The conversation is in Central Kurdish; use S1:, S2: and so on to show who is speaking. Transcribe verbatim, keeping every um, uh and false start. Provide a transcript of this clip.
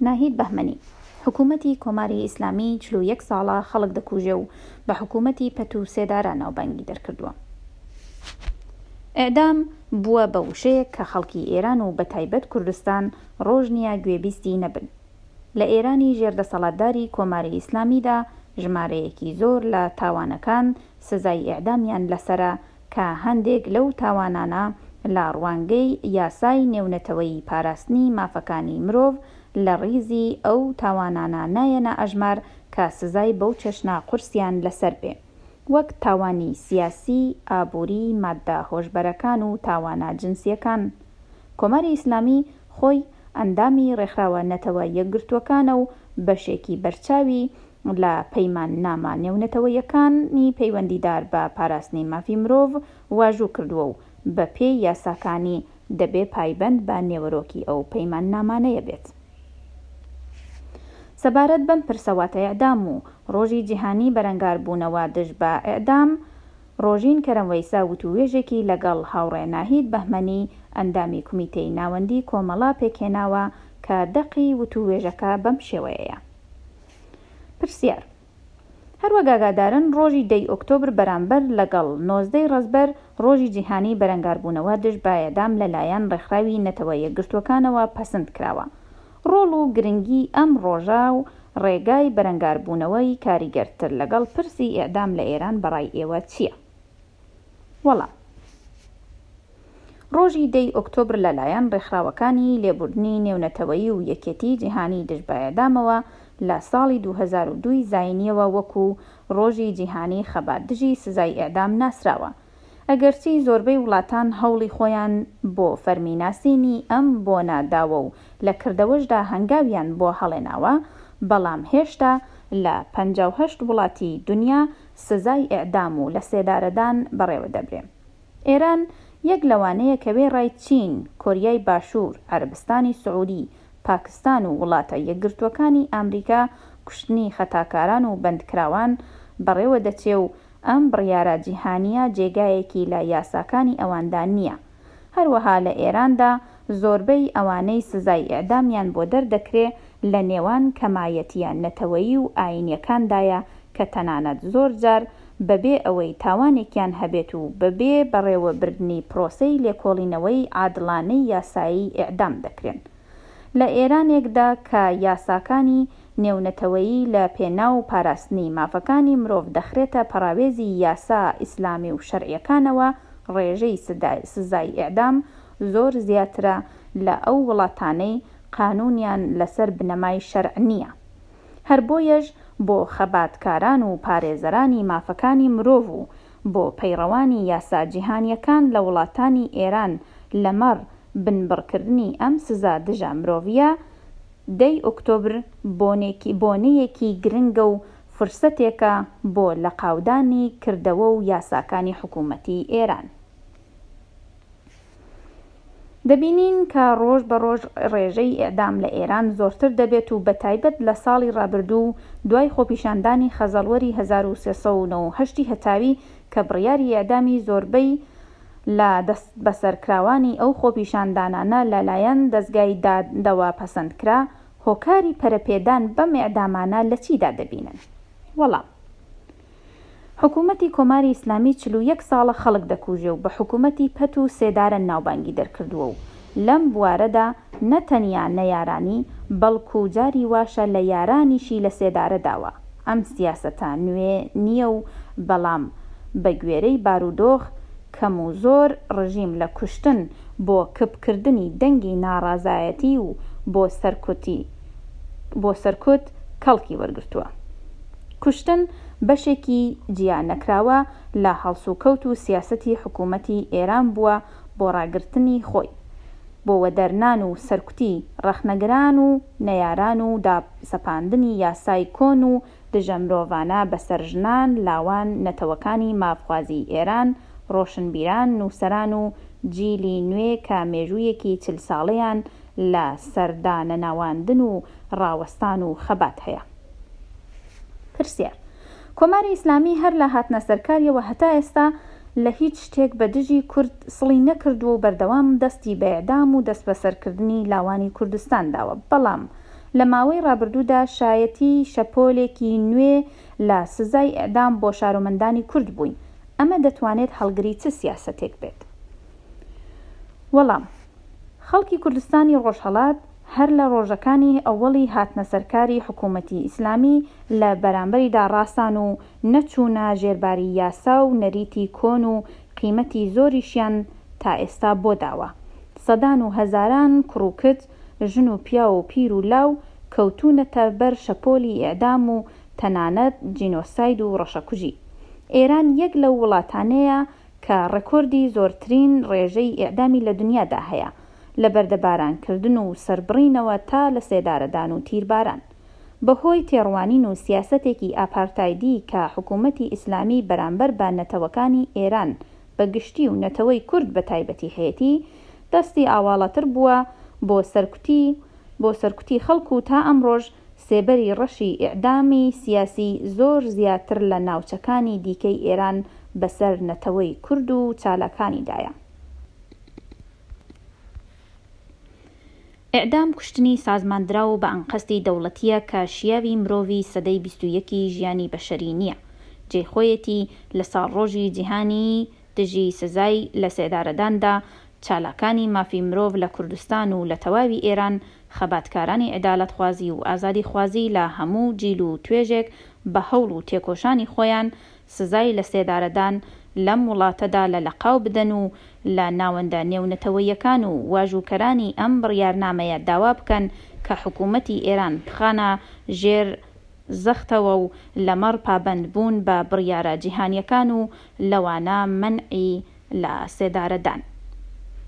S1: ناهید بەهمەنی، حکوومەتی کۆماری ئیسلامی چل و یەک ساڵە خەڵک دەکوژێ و بە حکوومەتی پەت و سێدارە ناوبانگی دەرکردووە. ئێعدام بووە بە وشەیەک کە خەڵکی ئێران و بەتایبەت کوردستان ڕۆژ نییە گوێبیستی نەبن. لە ئێرانی ژێر دەسەڵاتداری کۆماری ئیسلامیدا ژمارەیەکی زۆر لە تاوانەکان سزای ئێعدامیان لەسەرە کە هەندێک لەو تاوانانە لە ڕوانگەی یاسای نێونەتەوەیی پاراستنی مافەکانی مرۆڤ لە ڕیزی ئەو تاوانانە نایەنە ئەژمار کە سزای بەو چەشنە قورسیان لەسەر بێ وەک تاوانی سیاسی، ئابووری، ماددە هۆشبەرەکان و تاوانە جنسییەکان. کۆماری ئیسلامی خۆی ئەندامی ڕێکخراوە نەتەوە یەکگرتووەکانە و بەشێکی بەرچاوی لە پەیماننامە نێونەتەوەیەکانی پەیوەندیدار بە پاراستنی مافی مرۆڤ واژوو کردووە و بە پێی یاساکانی دەبێ پایبەند بە نێوەرۆکی ئەو پەیماننامانەیە بێت. سەبارەت بەم پرسە واتە ئێعدام و ڕۆژی جیهانی بەرەنگاربوونەوە دژ بە ئێعدام، ڕۆژین کەرەم وەیسە وتووێژێکی لەگەڵ هاوڕێ ناهید بەهمەنی ئەندامی کومیتەی ناوەندی کۆمەڵە پێکهێناوە کە دەقی وتووێژەکە بەم شێوەیەیە. پرسیار: هەروەک ئاگادارن ڕۆژی دەی ئۆکتۆبر بەرامبەر لەگەڵ نۆزدەی ڕەزبەر ڕۆژی جیهانی بەرەنگاربوونەوە دژ بە ئێعدام لەلایەن ڕێکخراوی نەتەوە یەکگرتووەکانەوە پەسند کراوە. ڕۆڵ و گرنگی ئەم ڕۆژە و ڕێگای بەرەنگاربوونەوەی کاریگەرتر لەگەڵ پرسی ئێعدام لە ئێران بەڕای ئێوە چییە؟ وەڵام: ڕۆژی دەی ئۆکتۆبر لەلایەن ڕێکخراوەکانی لێبوردنی نێونەتەوەیی و یەکێتی جیهانی دژ بە ئێعدامەوە لە ساڵی دوو هەزار و دوو زایینیەوە وەکوو ڕۆژی جیهانی خەبات دژی سزای ئێعدام ناسراوە. ئەگەرچی زۆربەی وڵاتان هەوڵی خۆیان بۆ فەرمی ناسینی ئەم بۆنە داوە و لە کردەوەشدا هەنگاویان بۆ هەڵێناوە، بەڵام هێشتا لە پەنجا و هەشت وڵاتی دنیا سزای ئێعدام و لەسێدارەدان بەڕێوە دەبرێ. ئێران یەک لەوانەیە کە وێڕای چین، کۆریای باشوور، عەرەبستانی سعوودی، پاکستان و وڵاتە یەکگرتووەکانی ئامریکا کوشتنی خەتاکاران و بەندکراوان بەڕێوە دەچێ و ئەم بڕیارە جیهانییە جێگایەکی لە یاساکانی ئەواندا نییە. هەروەها لە ئێراندا زۆربەی ئەوانەی سزای ئێعدامیان بۆ دەردەکرێ لە نێوان کەمایەتییە نەتەوەیی و ئایینییەکاندایە کە تەنانەت زۆر جار بەبێ ئەوەی تاوانێکیان هەبێت و بەبێ بەڕێوەبردنی پرۆسەی لێکۆڵینەوەی عادڵانەی یاسایی ئێعدام دەکرێن. لە ئێرانێکدا کە یاساکانی نێونەتەوەیی لە پێناو پاراستنی مافەکانی مرۆڤ دەخرێتە پەراوێزی یاسا ئیسلامی و شەرعییەکانەوە، ڕێژەی سزای ئێعدام زۆر زیاترە لە ئەو وڵاتانەی قانوونیان لەسەر بنەمای شەرع نییە. هەر بۆیەش بۆ خەباتکاران و پارێزەرانی مافەکانی مرۆڤ و بۆ پەیڕەوانی یاسا جیهانییەکان لە وڵاتانی ئێران لەمەڕ بنبڕکردنی ئەم سزا دژە مرۆڤییە، دەی ئۆکتۆبر بۆنەیەکی گرنگە و فرسەتێکە بۆ لەقاودانی کردەوە و یاساکانی حکوومەتی ئێران. دەبینین کە ڕۆژ بە ڕۆژ ڕێژەی ئێعدام لە ئێران زۆرتر دەبێت و بەتایبەت لە ساڵی ڕابردوو و دوای خۆپیشاندانی خەزەڵوەری هەزار و سێ سەد و نەوەد و هەشت هەتاوی کە بڕیاری ئێعدامی زۆربەی لە دەستبەسەرکراوانی ئەو خۆپیشاندانانە لەلایەن دەزگای دادەوە پەسەند کرا، هۆکاری پەرەپێدان بەم ئێعدامانە لە چیدا دەبینن؟ وەڵام: حکوومەتی کۆماری ئیسلامی چل و یەک ساڵە خەڵک دەکوژێ و بە حکوومەتی پەت و سێدارە ناوبانگی دەرکردووە و لەم بوارەدا نە تەنیا نەیارانی، بەڵکوو جاری واشە لە یارانیشی لە سێدارە داوە. ئەم سیاسەتە نوێ نییە و بەڵام بە گوێرەی بارودۆخ کەم و زۆر ڕژیم لە کوشتن بۆ کپکردنی دەنگی ناڕەزایەتی و بۆ سەرکوتی بۆ سەرکوت کەڵکی وەرگرتووە. کوشتن بەشێکی جیا نەکراوە لە هەڵسوکەوت و سیاسەتی حکوومەتی ئێران بووە بۆ ڕاگرتنی خۆی، بۆ وەدەرنان و سەرکوتی ڕەخنەگران و نەیاران و داسەپاندنی یاسای کۆن و دژە مرۆڤانە بەسەر ژنان، لاوان، نەتەوەکانی مافخوازی ئێران، ڕۆشنبیران، نووسەران و جیلی نوێ کە مێژوویەکی چل ساڵەیان لە سەردانەنەواندن و ڕاوەستان و خەبات هەیە. پرسیار: کۆماری ئیسلامی هەر لە هاتنە سەرکاریەوە هەتا ئێستا لە هیچ شتێک بە دژی کورد سڵی نەکردووە و بەردەوام دەستی بە ئێعدام و دەستبەسەرکردنی لاوانی کوردستان داوە، بەڵام لە ماوەی ڕابردوودا شایەتی شەپۆلێکی نوێ لە سزای ئێعدام بۆ شارۆمەندانی کورد بووین، ئەمە دەتوانێت هەڵگری چ سیاسەتێک بێت؟ وەڵام، خەڵکی کوردستانی ڕۆژهەڵات هەر لە ڕۆژەکانی ئەوەڵی هاتنەسەرکاری حکوومەتی ئیسلامی لە بەرامبەریدا ڕاسان و نەچوونە ژێرباری یاسا و نەریتی کۆن و قیمەتی زۆریشیان تا ئێستا بۆ داوە. سەدان و هەزاران کوڕ و کچ، ژن و پیاو و پیر و لاو کەوتوونەتە بەر شەپۆلی ئێعدام و تەنانەت جینۆساید و ڕەشەکوژی. ئێران یەک لەو وڵاتانەیە کە ڕێکۆردی زۆرترین ڕێژەی ئێعدامی لە دنیادا هەیە، لە بەردەبارانکردن و سەربڕینەوە تا لەسێدارەدان و تیرباران. بە هۆی تێڕوانین و سیاسەتێکی ئاپارتایدی کە حکوومەتی ئیسلامی بەرامبەر بە نەتەوەکانی ئێران بە گشتی و نەتەوەی کورد بە تایبەتی هەیەتی، دەستی ئاواڵەتر بووە بۆ سەرکوتی بۆ سەرکوتی خەڵک و تا ئەمڕۆش سێبەری ڕەشی ئێعدامی سیاسی زۆر زیاتر لە ناوچەکانی دیکەی ئێران بەسەر نەتەوەی کورد و چالاکانیدایە. ئێعدام کوشتنی سازماندراو و بە ئەنقەستی دەوڵەتییە کە شیاوی مرۆڤی سەدەی بیست و یەکی ژیانی بەشەری نییە. جێی خۆیەتی لە ساڵڕۆژی جیهانیی دژی سزای لەسێدارەداندا چالاکانی مافی مرۆڤ لە کوردستان و لە تەواوی ئێران، خەباتکارانی عەدالەتخوازی و ئازادیخوازی لە هەموو جیل و توێژێک بە هەوڵ و تێکۆشانی خۆیان سزای لەسێدارەدان لەم وڵاتەدا لە لەقاو بدەن و لە ناوەندە نێونەتەوەییەکان و واژووکەرانی ئەم بڕیارنامەیە داوا بکەن کە حکوومەتی ئێران بخەنە ژێر زەختەوە و لەمەڕ پابەندبوون بە بڕیارە جیهانییەکان و لەوانە مەنعی لە سێدارەدان.